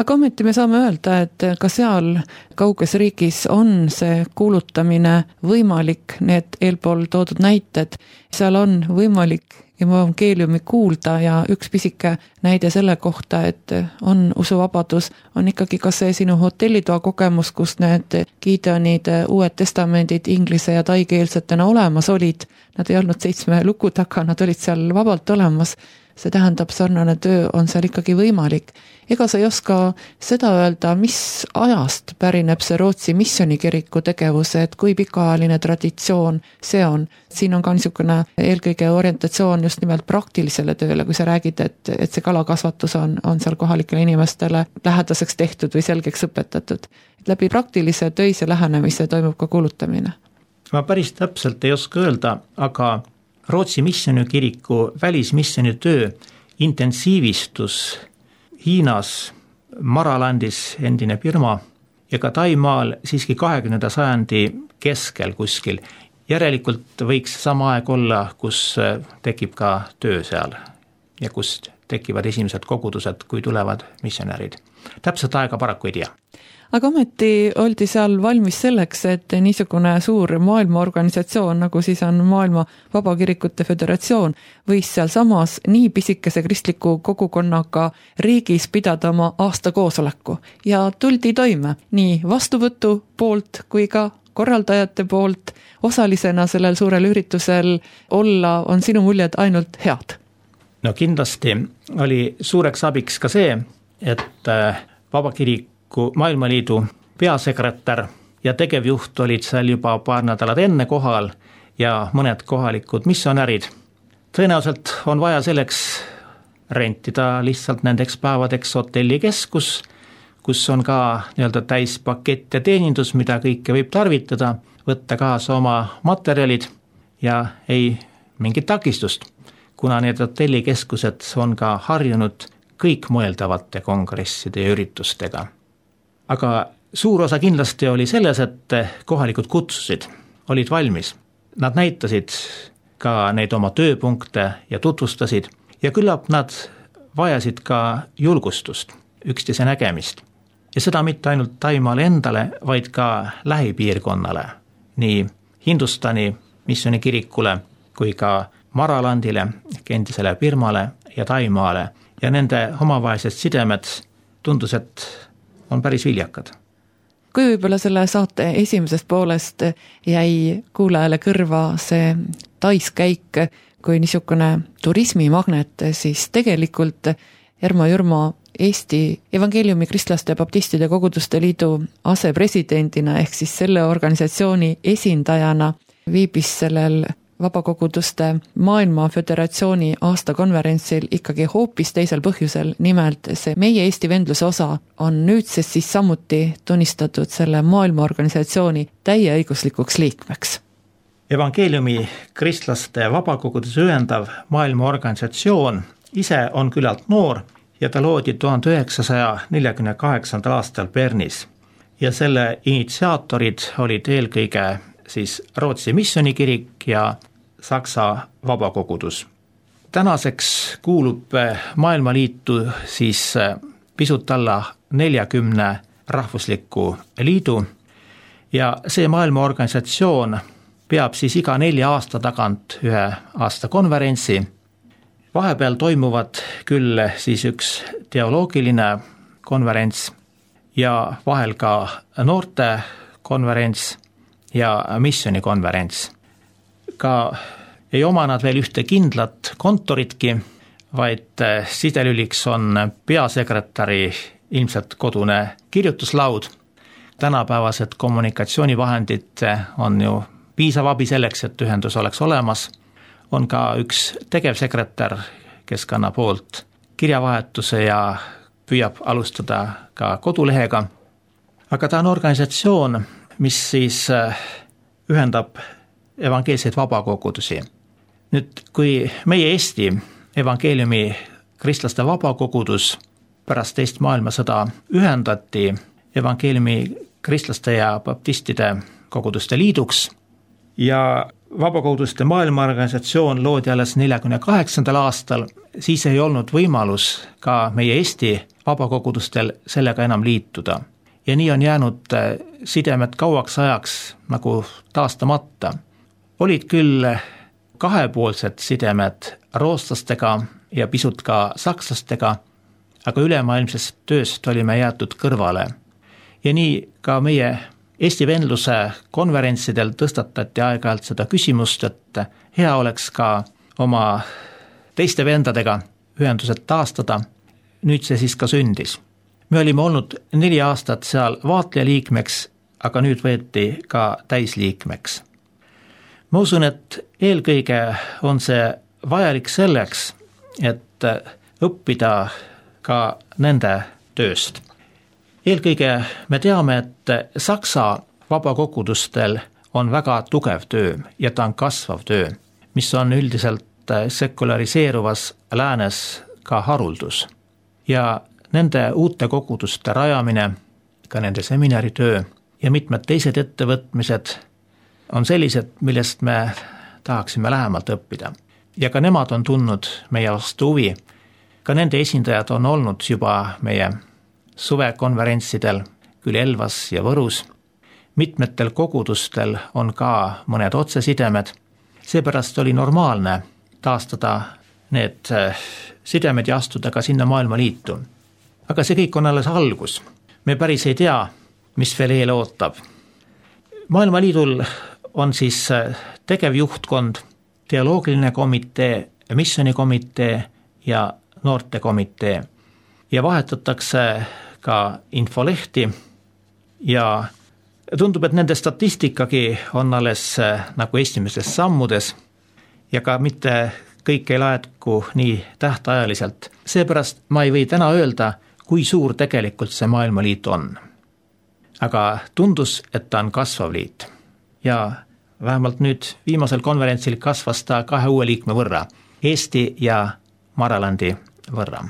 Aga ometi me saame öelda, et ka seal kauges riigis on see kuulutamine võimalik, need eelpool toodud näited, seal on võimalik evangeeliumi kuulda ja üks pisike näide selle kohta, et on usuvabadus, on ikkagi ka see sinu hotellitoa kogemus, kus need Gideonid, uued testamendid inglise ja taikeelsetena olemas olid, nad ei olnud seitsme luku taga, nad olid seal vabalt olemas. See tähendab, sarnane töö on seal ikkagi võimalik. Ega sa ei oska seda öelda, mis ajast pärineb see Rootsi missionikiriku tegevuse, et kui pikaajaline traditsioon see on. Siin on ka niisugune eelkõige orientatsioon just nimelt praktilisele tööle, kui sa räägid, et, et see kalakasvatus on, on seal kohalikele inimestele lähedaseks tehtud või selgeks õpetatud. Et läbi praktilise töise lähenemise toimub ka kuulutamine. Ma päris täpselt ei oska öelda, aga Rootsi missionikiriku välismissionitöö intensiivistus Hiinas, Maralandis endine Birma ja ka Taimaal siiski kahekümnenda sajandi keskel kuskil. Järelikult võiks sama aeg olla, kus tekib ka töö seal ja kus tekivad esimesed kogudused, kui tulevad missionärid. Täpselt aega paraku ei tea. Aga ometi oldi seal valmis selleks, et niisugune suur maailmaorganisatsioon, nagu siis on Maailma Vabakirikute Föderatsioon, võis seal samas nii pisikese kristliku kogukonnaga riigis pidada oma aasta koosoleku ja tuldi toime nii vastuvõtu poolt kui ka korraldajate poolt. Osalisena sellel suurel üritusel olla on sinu muljed ainult head? No kindlasti oli suureks abiks ka see, et Vabakiriku Maailmaliidu peasekretär ja tegevjuht olid seal juba paar nädalat enne kohal ja mõned kohalikud missionärid. Tõenäoliselt on vaja selleks rentida lihtsalt nendeks päevadeks hotellikeskus, kus on ka nii-öelda täispakett ja teenindus, mida kõike võib tarvitada, võtta kaasa oma materjalid ja ei mingit takistust, kuna need hotellikeskused on ka harjunud kõik mõeldavate kongresside ja üritustega. Aga suur osa kindlasti oli selles, et kohalikud kutsusid, olid valmis. Nad näitasid ka neid oma tööpunkte ja tutvustasid ja küllap nad vajasid ka julgustust, üksteise nägemist. Ja seda mitte ainult Taimaale endale, vaid ka lähipiirkonnale, nii Hindustani missioonikirikule kui ka Maralandile, endisele Birmale ja Taimaale. Ja nende omavahelised sidemed tundus, et on päris viljakad. Kui võib-olla selle saate esimesest poolest jäi kuulajale kõrva see taiskäik kui niisugune turismimagnet, siis tegelikult Ermo Jürmo Eesti Evangeeliumi Kristlaste ja Baptistide Koguduste Liidu asepresidendina ehk siis selle organisatsiooni esindajana viibis sellel Vabakoguduste Maailma Föderatsiooni aastakonverentsil ikkagi hoopis teisel põhjusel, nimelt see meie Eesti vendluse osa on nüüdsest siis samuti tunnistatud selle maailmaorganisatsiooni täieõiguslikuks liikmeks. Evangeeliumi Kristlaste Vabakoguduse ühendav maailmaorganisatsioon ise on küllalt noor ja ta loodi tuhande üheksasaja neljakümne kaheksandal aastal Bernis ja selle initsiaatorid olid eelkõige siis Rootsi missionikirik ja Saksa Vabakogudus. Tänaseks kuulub Maailmaliitu siis pisut alla neljakümne rahvusliku liidu ja see maailmaorganisatsioon peab siis iga nelja aasta tagant ühe aasta konverentsi. Vahepeal toimuvad küll siis üks teoloogiline konverents ja vahel ka noorte konverents ja missionikonverents. Ka ei oma nad veel ühte kindlat kontoritki, vaid sidelüliks on peasekretäri ilmselt kodune kirjutuslaud. Tänapäevased kommunikatsioonivahendid on ju piisav abi selleks, et ühendus oleks olemas. On ka üks tegevsekretär, kes kannab hoolt kirjavahetuse ja püüab alustada ka kodulehega. Aga ta on organisatsioon, mis siis ühendab evangeelseid vabakogudusi. Nüüd, kui meie Eesti Evangeeliumi Kristlaste Vabakogudus pärast teist maailmasõda ühendati Evangeeliumi Kristlaste ja Baptistide Koguduste Liiduks ja Vabakoguduste maailmaorganisatsioon loodi alles neljakümne kaheksandal aastal, siis ei olnud võimalus ka meie Eesti vabakogudustel sellega enam liituda. Ja nii on jäänud sidemed kauaks ajaks nagu taastamata. Olid küll kahepoolsed sidemed rootslastega ja pisut ka sakslastega, aga ülemaailmsest tööst olime jäetud kõrvale. Ja nii ka meie Eesti vendluse konverentsidel tõstatati aeg-ajalt seda küsimust, et hea oleks ka oma teiste vendadega ühendused taastada. Nüüd see siis ka sündis. Me olime olnud neli aastat seal vaatleja liikmeks, aga nüüd võeti ka täisliikmeks. Ma usun, et eelkõige on see vajalik selleks, et õppida ka nende tööst. Eelkõige me teame, et Saksa vabakogudustel on väga tugev töö ja ta on kasvav töö, mis on üldiselt sekulariseeruvas läänes ka haruldus. Ja nende uute koguduste rajamine ka nende seminaritöö ja mitmed teised ettevõtmised on sellised, millest me tahaksime lähemalt õppida. Ja ka nemad on tundnud meie vastu huvi. Ka nende esindajad on olnud juba meie suvekonverentsidel, küll Elvas ja Võrus. Mitmetel kogudustel on ka mõned otsesidemed. Seepärast oli normaalne taastada need sidemed ja astuda ka sinna maailmaliitu. Aga see kõik on alles algus. Me päris ei tea, mis veel eel ootab. Maailmaliidul on siis tegevjuhtkond, teoloogiline komitee, missionikomitee ja noortekomitee. Ja vahetatakse ka infolehti ja tundub, et nende statistikagi on alles nagu esimestes sammudes ja ka mitte kõik ei laetku nii tähtajaliselt. Seepärast ma ei või täna öelda, kui suur tegelikult see maailmaliit on. Aga tundus, et ta on kasvav liit. Ja vähemalt nüüd viimasel konverentsil kasvas ta kahe uue liikme võrra, Eesti ja Maralandi võrra.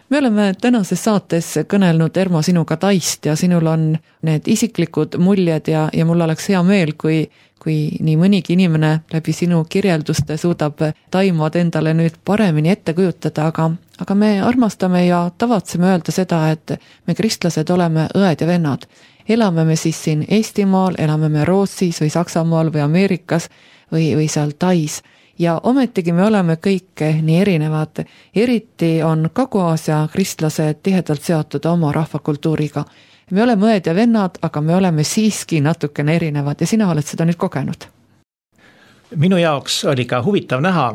Me oleme tänases saates kõnelnud, Ermo, sinuga Taist ja sinul on need isiklikud muljed ja, ja mul oleks hea meel, kui, kui nii mõnigi inimene läbi sinu kirjelduste suudab Taimad endale nüüd paremini ette kujutada, aga, aga me armastame ja tavatseme öelda seda, et me kristlased oleme õed ja vennad. Elame me siis siin Eestimaal, elame me Rootsis või Saksamaal või Ameerikas või, või seal Tais. Ja ometigi me oleme kõik nii erinevad, eriti on Kagu-Aasia kristlased tihedalt seotud oma rahvakultuuriga. Me oleme õed ja vennad, aga me oleme siiski natukene erinevad ja sina oled seda nüüd kogenud. Minu jaoks oli ka huvitav näha,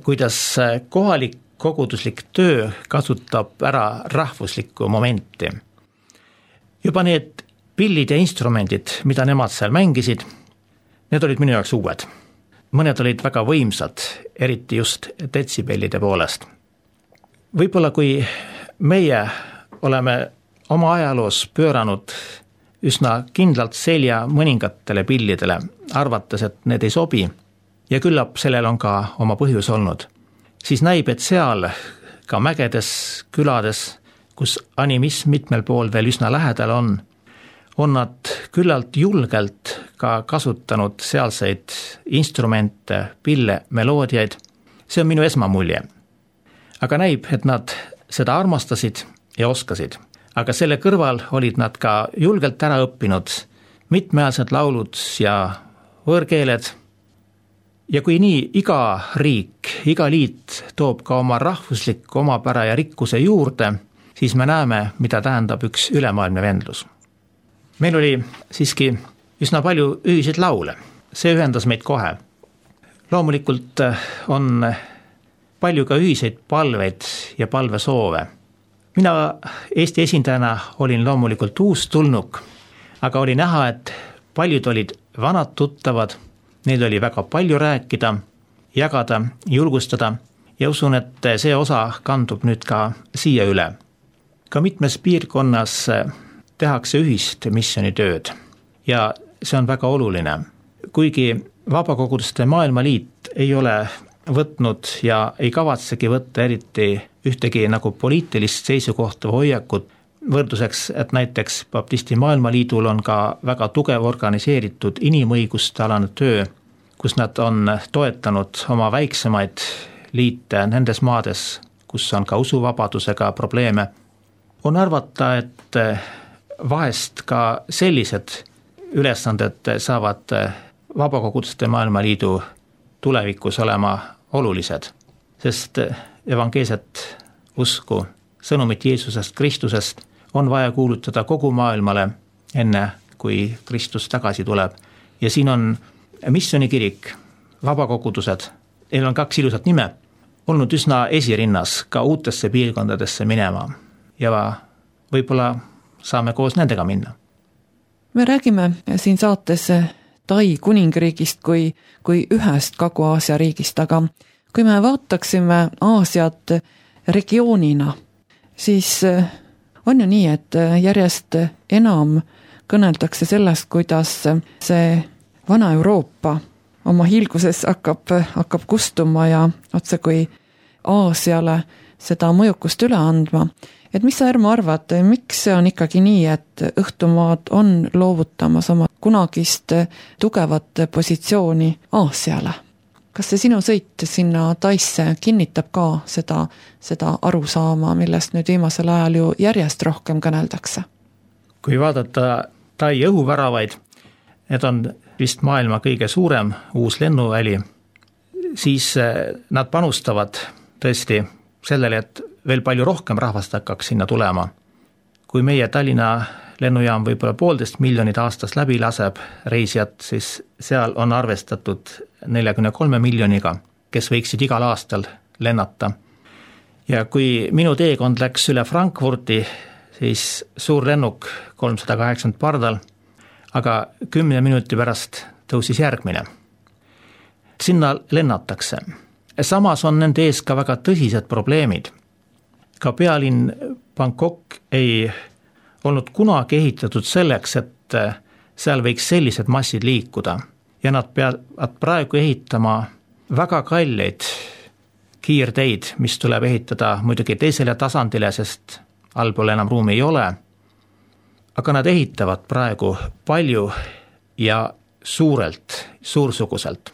kuidas kohalik koguduslik töö kasutab ära rahvuslikku momenti. Juba need pillid ja instrumendid, mida nemad seal mängisid, need olid minu jaoks uued. Mõned olid väga võimsad, eriti just detsibellide poolest. Võib-olla kui meie oleme oma ajaloos pööranud üsna kindlalt selja mõningatele pillidele, arvates, et need ei sobi, ja küllap sellel on ka oma põhjus olnud, siis näib, et seal ka mägedes, külades, kus animism mitmel pool veel üsna lähedal on, on nad küllalt julgelt ka kasutanud sealseid instrumente, pille, meloodiaid. See on minu esmamulje. Aga näib, et nad seda armastasid ja oskasid. Aga selle kõrval olid nad ka julgelt ära õppinud mitmeaased laulud ja võõrkeeled. Ja kui nii iga riik, iga liit toob ka oma rahvuslik omapära ja rikkuse juurde, siis me näeme, mida tähendab üks ülemaailmne vendlus. Meil oli siiski üsna palju ühiseid laule. See ühendas meid kohe. Loomulikult on palju ka ühiseid palveid ja palvesoove. Mina Eesti esindajana olin loomulikult uus tulnuk, aga oli näha, et paljud olid vanad tuttavad, neil oli väga palju rääkida, jagada, julgustada ja usun, et see osa kandub nüüd ka siia üle. Ka mitmes piirkonnas tehakse ühist missionitööd ja see on väga oluline. Kuigi Vabakoguduste Maailmaliit ei ole võtnud ja ei kavatsegi võtta eriti ühtegi nagu poliitilist seisukohta või hoiakut, võrdluseks, et näiteks Baptisti Maailmaliidul on ka väga tugev organiseeritud inimõiguste alane töö, kus nad on toetanud oma väiksemaid liite nendes maades, kus on ka usuvabadusega probleeme. On arvata, et vahest ka sellised ülesanded saavad Vabakoguduste Maailmaliidu tulevikus olema olulised, sest evangeelset usku, sõnumit Jeesusest Kristusest on vaja kuulutada kogu maailmale enne, kui Kristus tagasi tuleb. Ja siin on missionikirik, vabakogudused, neil on kaks ilusat nime, olnud üsna esirinnas ka uutesse piirkondadesse minema ja võib-olla saame koos nendega minna. Me räägime siin saates Tai kuningriigist kui, kui ühest Kagu-Aasia riigist, aga kui me vaataksime Aasiat regioonina, siis on ju nii, et järjest enam kõneldakse sellest, kuidas see vana Euroopa oma hiilguses hakkab, hakkab kustuma ja otse kui Aasiale seda mõjukust üle andma. Et mis sa, Ermo, arvad, miks see on ikkagi nii, et õhtumaad on loovutamas oma kunagist tugevat positsiooni Aasiale? Kas see sinu sõit sinna Taisse kinnitab ka seda, seda arusaama, millest nüüd viimasel ajal ju järjest rohkem kõneldakse? Kui vaadata Tai õhuväravaid, need on vist maailma kõige suurem uus lennuväli, siis nad panustavad tõesti sellele, et veel palju rohkem rahvast hakkaks sinna tulema. Kui meie Tallinna lennujaam võib-olla poolteist miljonit aastas läbi laseb reisijat, siis seal on arvestatud neljakümne kolme miljoniga, kes võiksid igal aastal lennata. Ja kui minu teekond läks üle Frankfurti, siis suur lennuk kolmsada kaheksakümmend pardal, aga kümne minuti pärast tõusis järgmine. Sinna lennatakse. Samas on nende ees ka väga tõsised probleemid. Ka pealinn Bangkok ei olnud kunagi ehitatud selleks, et seal võiks sellised massid liikuda. Ja nad peavad praegu ehitama väga kalleid kiirteid, mis tuleb ehitada muidugi teisele tasandile, sest allpool enam ruumi ei ole. Aga nad ehitavad praegu palju ja suurelt, suursuguselt.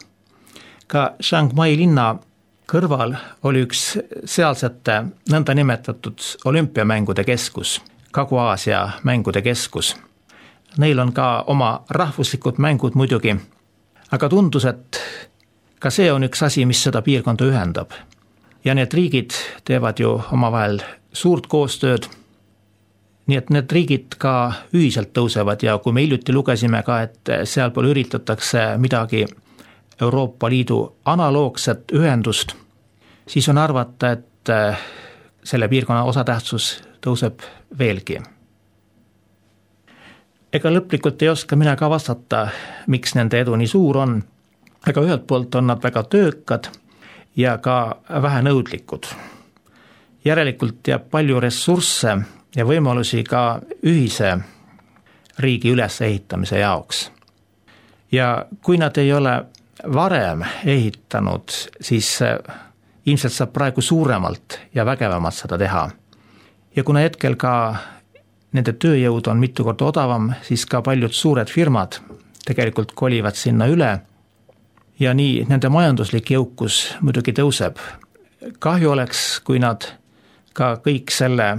Ka Shanghai linna kõrval oli üks sealsete nõnda nimetatud olümpiamängude keskus, Kagu-Aasia mängude keskus. Neil on ka oma rahvuslikud mängud muidugi, aga tundus, et ka see on üks asi, mis seda piirkonda ühendab. Ja need riigid teevad ju omavahel suurt koostööd, nii et need riigid ka ühiselt tõusevad ja kui me hiljuti lugesime ka, et sealpool üritatakse midagi Euroopa Liidu analoogset ühendust, siis on arvata, et selle piirkonna osatähtsus tõuseb veelgi. ega lõplikult ei oska mina ka vastata, miks nende edu nii suur on, aga ühelt poolt on nad väga töökad ja ka vähenõudlikud. Järelikult jääb palju ressursse ja võimalusi ka ühise riigi ülesehitamise jaoks. Ja kui nad ei ole varem ehitanud, siis ilmselt saab praegu suuremalt ja vägevamalt seda teha. Ja kuna hetkel ka nende tööjõud on mitu korda odavam, siis ka paljud suured firmad tegelikult kolivad sinna üle ja nii nende majanduslik jõukus muidugi tõuseb. Kahju oleks, kui nad ka kõik selle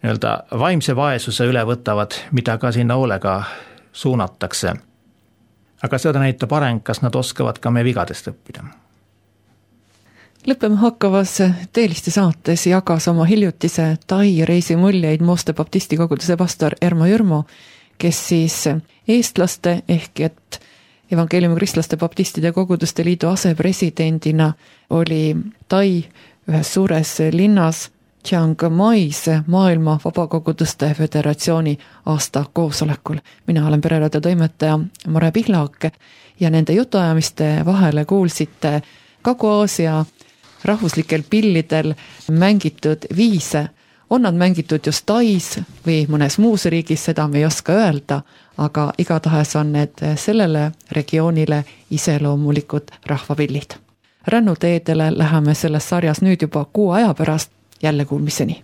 nii-öelda vaimse vaesuse üle võtavad, mida ka sinna hoolega suunatakse. Aga seda näitab areng, kas nad oskavad ka meie vigadest õppida. Lõppema hakkavas Teeliste saates jagas oma hiljutise Tai reisi muljeid Mooste baptisti koguduse pastor Ermo Jürmo, kes siis eestlaste ehk et evangeeliumi kristlaste baptistide koguduste liidu asepresidendina oli Tai ühes suures linnas Chiang Mais maailma vabakoguduste föderatsiooni aasta koosolekul. Mina olen pereradio toimetaja Mare Pihlak ja nende jutuajamiste vahele kuulsite Kagu-Aasia rahvuslikel pillidel mängitud viise. On nad mängitud just Tais või mõnes muus riigis, seda me ei oska öelda, aga igatahes on need sellele regioonile iseloomulikud rahvapillid. Rännuteedele läheme selles sarjas nüüd juba kuu aja pärast jälle kuulmiseni.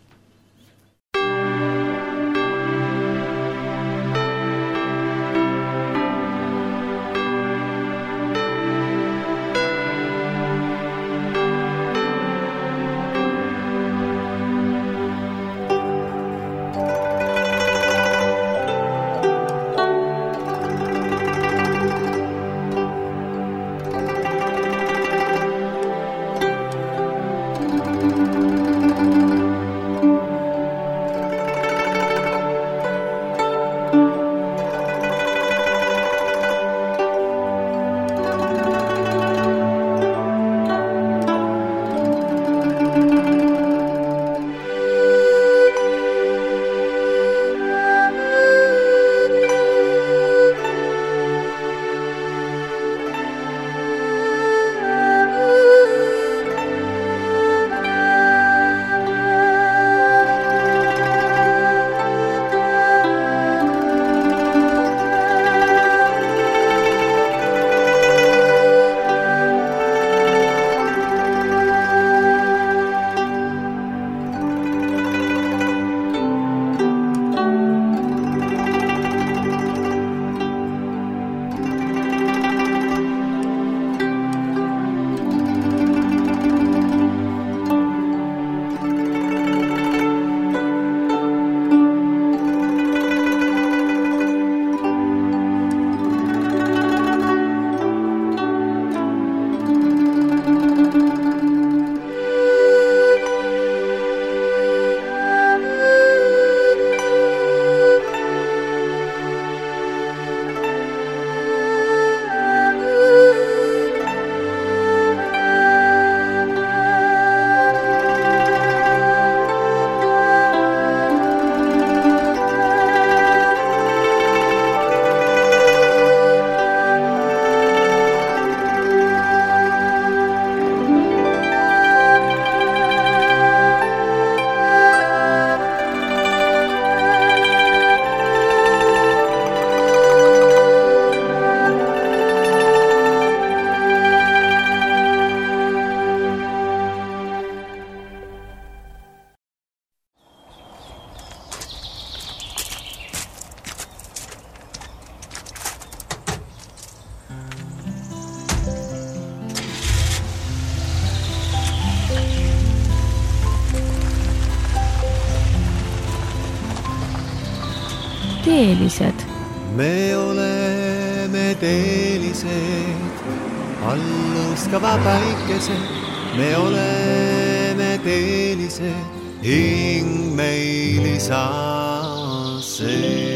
Teelised. Me oleme teelised, alluskava päikesed. Me oleme teelised, hing meil saa see.